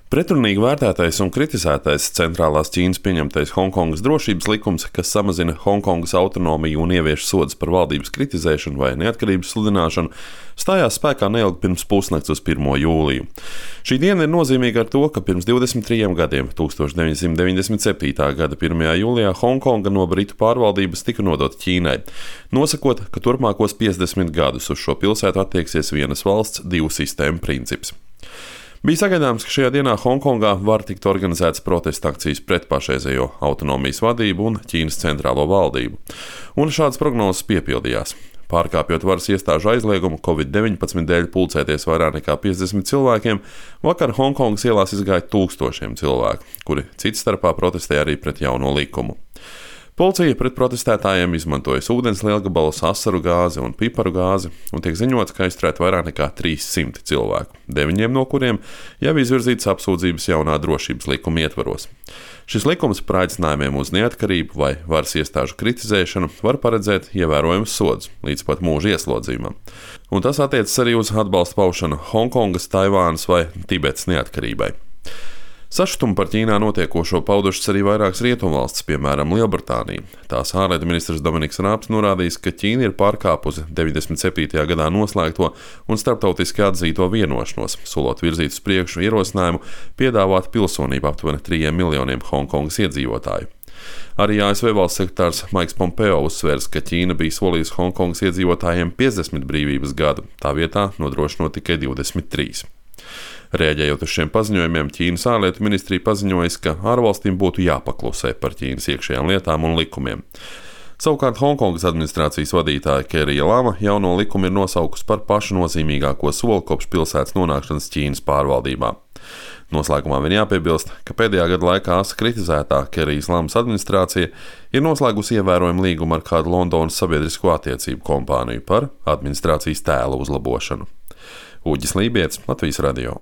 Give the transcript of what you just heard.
Pretrunīgi vērtētais un kritizētais centrālās Ķīnas pieņemtais Honkongas drošības likums, kas samazina Honkongas autonomiju un ievieš sodus par valdības kritizēšanu vai neatkarības sludināšanu, stājās spēkā neilgi pirms pusnakts uz 1. jūliju. Šī diena ir nozīmīga ar to, ka pirms 23 gadiem, 1997. gada 1. jūlijā, Honkonga no Britu pārvaldības tika nodota Ķīnai, nosakot, ka turpmākos 50 gadus uz šo pilsētu attieksies vienas valsts, divu sistēmu princips. Bija sagaidāms, ka šajā dienā Honkongā var tikt organizētas protesta akcijas pret pašreizējo autonomijas vadību un Ķīnas centrālo valdību. Un šādas prognozes piepildījās. Pārkāpjot varas iestāžu aizliegumu Covid-19 dēļ pulcēties vairāk nekā 50 cilvēkiem, vakar Honkongas ielās izgāja tūkstošiem cilvēku, kuri cits starpā protestēja arī pret jauno likumu. Policija pret protestētājiem izmantojas ūdens lielgabalus, asaru gāzi un piparu gāzi, un tiek ziņots, ka aizturēt vairāk nekā 300 cilvēku, 9 no kuriem jau izvirzītas apsūdzības jaunā drošības likuma ietvaros. Šis likums par aicinājumiem uz neatkarību vai varas iestāžu kritizēšanu var paredzēt ievērojamus sodus, līdz pat mūža ieslodzījumam. Un tas attiecas arī uz atbalsta paušanu Honkongas, Taivānas vai Tibetas neatkarībai. Sašutumu par Ķīnā notiekošo paudušas arī vairākas rietumvalstis, piemēram, Lielbritānija. Tās ārlietu ministrs Dominiks Rābs norādījis, ka Ķīna ir pārkāpusi 97. gadā noslēgto un starptautiski atzīto vienošanos, solot virzīt uz priekšu ierosinājumu piedāvāt pilsonību aptuveni 3 miljoniem Honkongas iedzīvotāju. Arī ASV valsts sekretārs Maiks Pompeo uzsvērs, ka Ķīna bija solījusi Honkongas iedzīvotājiem 50 brīvības gadu, tā vietā nodrošinot tikai 23. Rēģējot uz šiem paziņojumiem, Ķīnas ārlietu ministrija paziņojas, ka ārvalstīm būtu jāpaklusē par Ķīnas iekšējām lietām un likumiem. Savukārt Honkongas administrācijas vadītāja Kerija Lama jauno likumu ir nosaukusi par pašu nozīmīgāko soli kopš pilsētas nonākšanas Ķīnas pārvaldībā. Noslēgumā vien jāpiebilst, ka pēdējā gada laikā kritizētā Kerijas Lamas administrācija ir noslēgusi ievērojumu līgumu ar kādu Londonas sabiedrisko attiecību kompāniju par administrācijas tēla uzlabošanu. Uģis Lībietis, Latvijas radio.